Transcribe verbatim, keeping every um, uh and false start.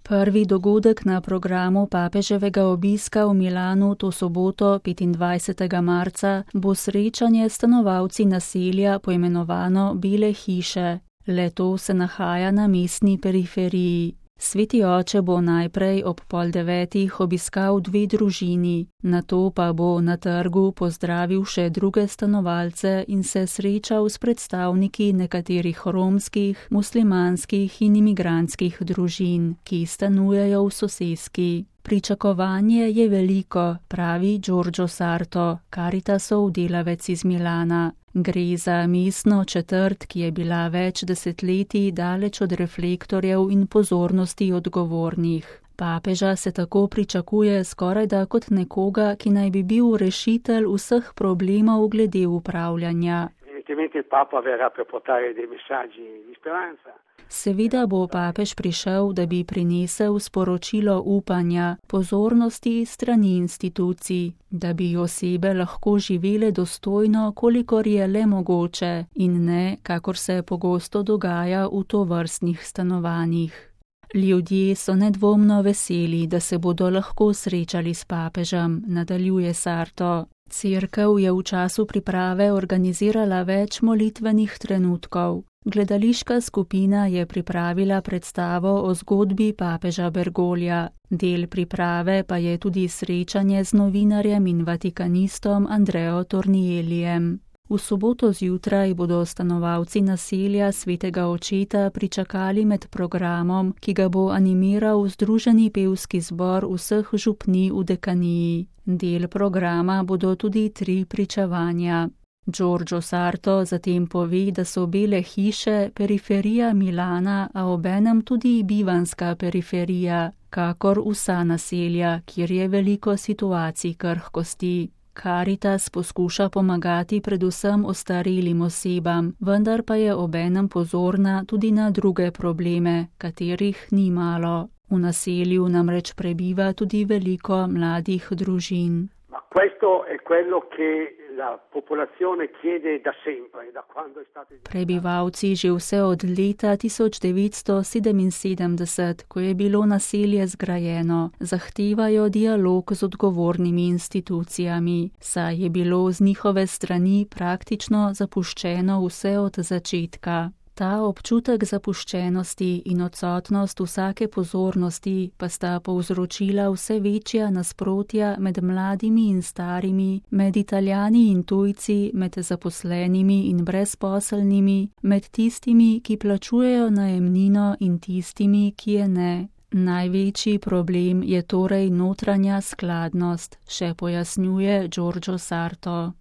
Prvi dogodek na programu papeževega obiska v Milanu to soboto petindvajsetega marca bo srečanje s stanovalci naselja poimenovano Bele hiše. Le-to se nahaja na mestni periferiji. Sveti oče bo najprej ob pol devetih obiskal dve družini, nato pa bo na trgu pozdravil še druge stanovalce in se srečal s predstavniki nekaterih romskih, muslimanskih in imigrantskih družin, ki stanujejo v soseski. Pričakovanje je veliko, pravi Giorgio Sarto, Caritasov delavec iz Milana. Gre za mestno četrt, ki je bila več desetletij daleč od reflektorjev in pozornosti odgovornih. Papeža se tako pričakuje skorajda kot nekoga, ki naj bi bil rešitelj vseh problemov glede upravljanja. Seveda bo papež prišel, da bi prinesel sporočilo upanja, pozornosti strani institucij, da bi osebe lahko živele dostojno, kolikor je le mogoče, in ne, kakor se pogosto dogaja v tovrstnih stanovanjih. Ljudje so nedvomno veseli, da se bodo lahko srečali s papežem, nadaljuje Sarto. Cerkev je v času priprave organizirala več molitvenih trenutkov. Gledališka skupina je pripravila predstavo o zgodbi papeža Bergoglja. Del priprave pa je tudi srečanje z novinarjem in vatikanistom Andreo Tornielijem. V soboto zjutraj bodo stanovalci naselja Svetega očeta pričakali med programom, ki ga bo animiral Združeni pevski zbor vseh župnij v dekaniji. Del programa bodo tudi tri pričevanja. Giorgio Sarto zatem pove, da so Bele hiše periferija Milana, a obenem tudi bivanska periferija, kakor vsa naselja, kjer je veliko situacij krhkosti. Caritas poskuša pomagati predvsem ostarelim osebam, vendar pa je obenem pozorna tudi na druge probleme, katerih ni malo. V naselju namreč prebiva tudi veliko mladih družin. Prebivalci že vse od leta tisoč devetsto sedeminsedemdeset, ko je bilo naselje zgrajeno, zahtevajo dialog z odgovornimi institucijami, saj je bilo z njihove strani praktično zapuščeno vse od začetka. Ta občutek zapuščenosti in odsotnost vsake pozornosti pa sta povzročila vse večja nasprotja med mladimi in starimi, med Italijani in tujci, med zaposlenimi in brezposelnimi, med tistimi, ki plačujejo najemnino in tistimi, ki je ne. Največji problem je torej notranja skladnost, še pojasnjuje Giorgio Sarto.